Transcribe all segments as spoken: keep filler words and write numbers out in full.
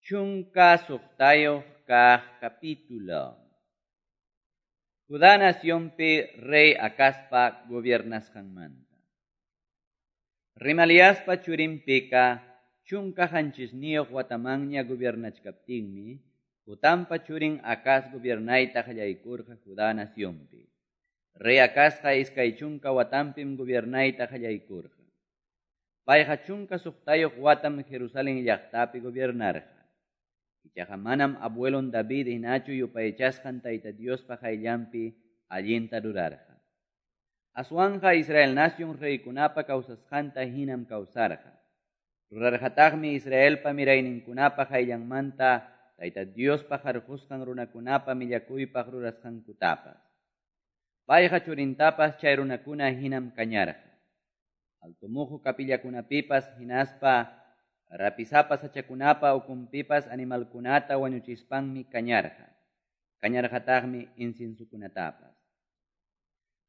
Chunka suqtayuq kaq capítulo. Judá nacionpi rey Acazpa gobiernasqanmanta. Remaliaspa churin Peka chunka qanchisniyuq watamanña gobiernachkaptinmi, Jotampa churin Acaz gobiernayta qallaykurqa Judá nacionpi. Rey Acazqa iskay chunka watanpim gobiernayta qallaykurqa. Payqa chunka suqtayuq watam Jerusalén llaqtapi gobiernarqa. Ichaqa manam abuelon David hinachu yupaychasqan Tayta Diospa qayllanpi allinta rurarqa. Aswanqa Israel nación reykunapa kawsasqanta hinam kawsarqa. Rurarqataqmi Israelpa mirayninkunapa qayllanmanta Tayta Diospa harqusqan runakunapa millakuypaq rurasqankutapas. Payqa churintapas chay runakuna hinam kañarqa. Altumuhu kapillakunapipas hinaspa rapisapa sachakunapa ukunpipas animalkunata wañuchispanmi kañarqa. Kañarqataqmi inciensukunatapas.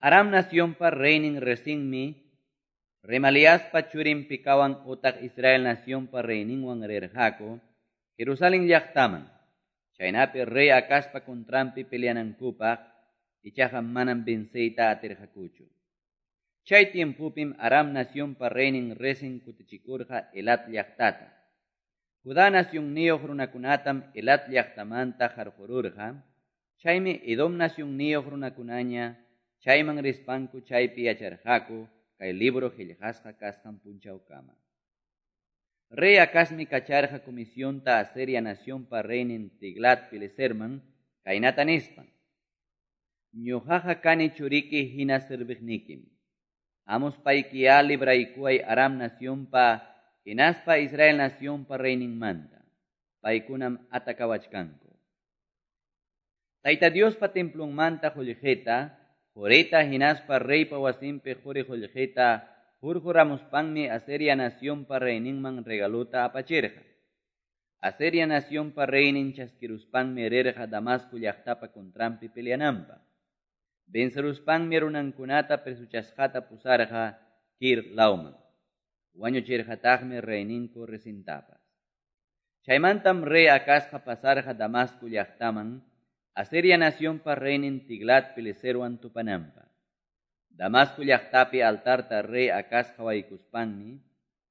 Aram nacionpa reynin Rezinmi Remaliaspa churin Pekawan utaq Israel nacionpa reyninwan rirqaku Jerusalén llaqtaman. Chaynapi rey Acazpa contranpi peleanankupaq ichaqa manam venceyta atirqakuchu. Chay tiempupim Aram nacionpa reynin Rezin kutichikurqa Elat llaqtata. Judá nacionniyuq runakunatam Elat llaqtamanta harqururqa. Chaymi Edom nacionniyuq runakunaña chayman rispanku chaypi yacharqaku kay libro qillqasqa kasqan punchawkama. Rey Acazmi kacharqa comisionta Asiria nacionpa reynin Tiglat-Pileserman kaynata nispan: Ñuqaqa kani churiki hina serviqnikim. Hamuspaykiya libraykuway Aram nacionpa hinaspa Israel nacionpa reyninmanta. Paykunam atakawachkanku. Tayta Diospa templonmanta qullqita, qurita hinaspa reypa wasinpi quri qullqita hurquramuspanmi Asiria nacionpa reyninman regaluta apachirqa. Asiria nacionpa reynin chaskiruspanmi rirqa Damasco llaqtapa contranpi peleananpaq. Venceruspanmi runankunata presuchasqata pusarqa Kir lawman. Wañuchirqataqmi reyninku Rezintapas. Chaymantam rey Acazqa pasarqa Damasco llaqtaman, Asiria nacionpa reynin Tiglat-Pileserwan tupananpaq. Damasco llaqtapi altarta rey Acaz qawaykuspanmi,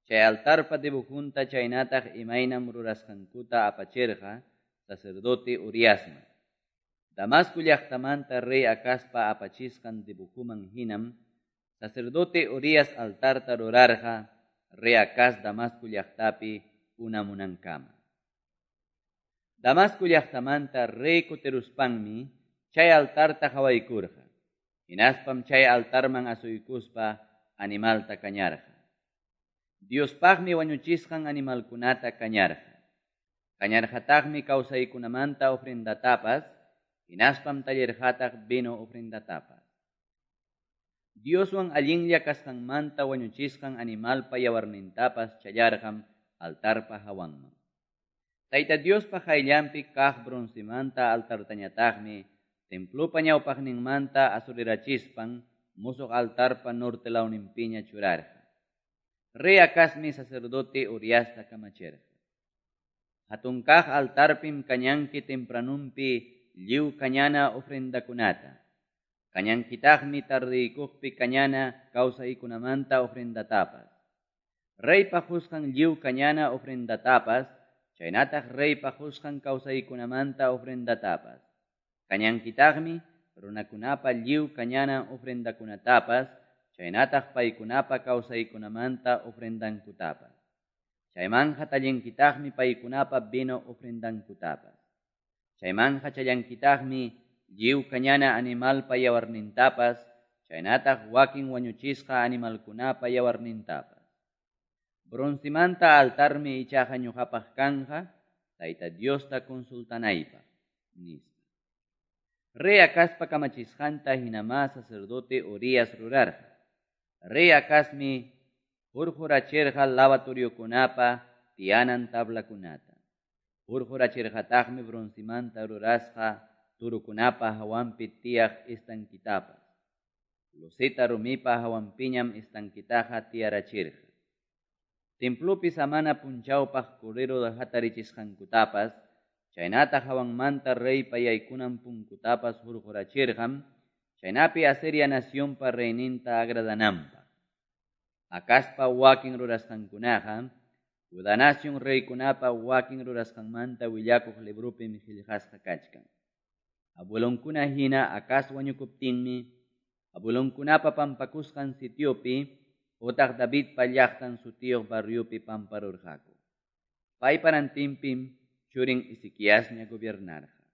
chay altarpa dibujunta chaynataq imaynam rurasqankuta apachirqa sacerdote Uriasman. Damasco llaqtamanta rey Acazpa apachisqan dibujuman hinam, sacerdote Urias altarta rurarqa rey Acaz Damasco llaqtapi unamunankama. Damasco llaqtamanta rey kutiruspanmi chay altarta qawaykurqa. Hinaspam chay altarman asuykuspa animalta kañarqa. Diospaqmi wañuchisqan animalkunata kañarqa. Kañarqataqmi kawsaykunamanta ofrendatapas, hinaspam tallirqataq vino ofrendatapas. Dioswan allinlla kasqanmanta wañuchisqan animalpa yawarnintapas challarqam altarpa hawanman. Tayta Diospa qayllanpi kaq broncemanta altartañataqmi templopa ñawpaqninmanta asurirachispan musuq altarpa norte lawninpiña churarqa. Rey Acazmi sacerdote Uriasta kamachirqa. Hatun kaq altarpim kañanki tempranunpi lliw kañana ofrendakunata. Kañankitaqmi tardiykuqpi kañana kawsaykunamanta ofrendatapas. Reypa qusqan lliw kañana ofrendatapas, chaynataq reypa qusqan kawsaykunamanta ofrendatapas. Kañankitaqmi runakunapa lliw kañana ofrendakunatapas, chaynataq paykunapa kawsaykunamanta ofrendankutapas. Chaymanja tallinkitaqmi paykunapa vino ofrendankutapas. Chaymanja challankitaqmi lliw kañana animalpa yawarnintapas, chaynataq wakin wañuchisqa animalkunapa yawarnintapas. Broncemanta altarmi ichaqa ñuqapaq kanja, Tayta Diosta consultanaypaq, nispa. Rey Acazpa kamachisqanta hinamá sacerdote Urias rurarqa. Rey Acazmi hurqurachirqa lavatoriokunapa tiyanan tablakunata. Hurqurachirqataqmi broncemanta rurasqa turukunapa hawanpi tiyaq estanquitapas. Loseta rumipa hawanpiñam estanquitaqa tiyarachirqa. Templopi samana punchawpaq cordero hatarichisqankutapas chaynataq hawanmanta reypa yaykunan punkutapas hurqurachirqam, chaynapi Asiria nacionpa reyninta agradananpaq. Acazpa wakin rurasqankunaqa Judá nacion reykunapa wakin rurasqanmanta willakuq libropim qillqasqa kachkan. Abuelonkuna hina Acaz wañukuptinmi abuelonkunapa pampakusqan sitiopi otaq Davidpa llaqtan sutiyuq barriopi pamparurqaku. Paypa rantinpim churin Ezequiasña gobiernarqa.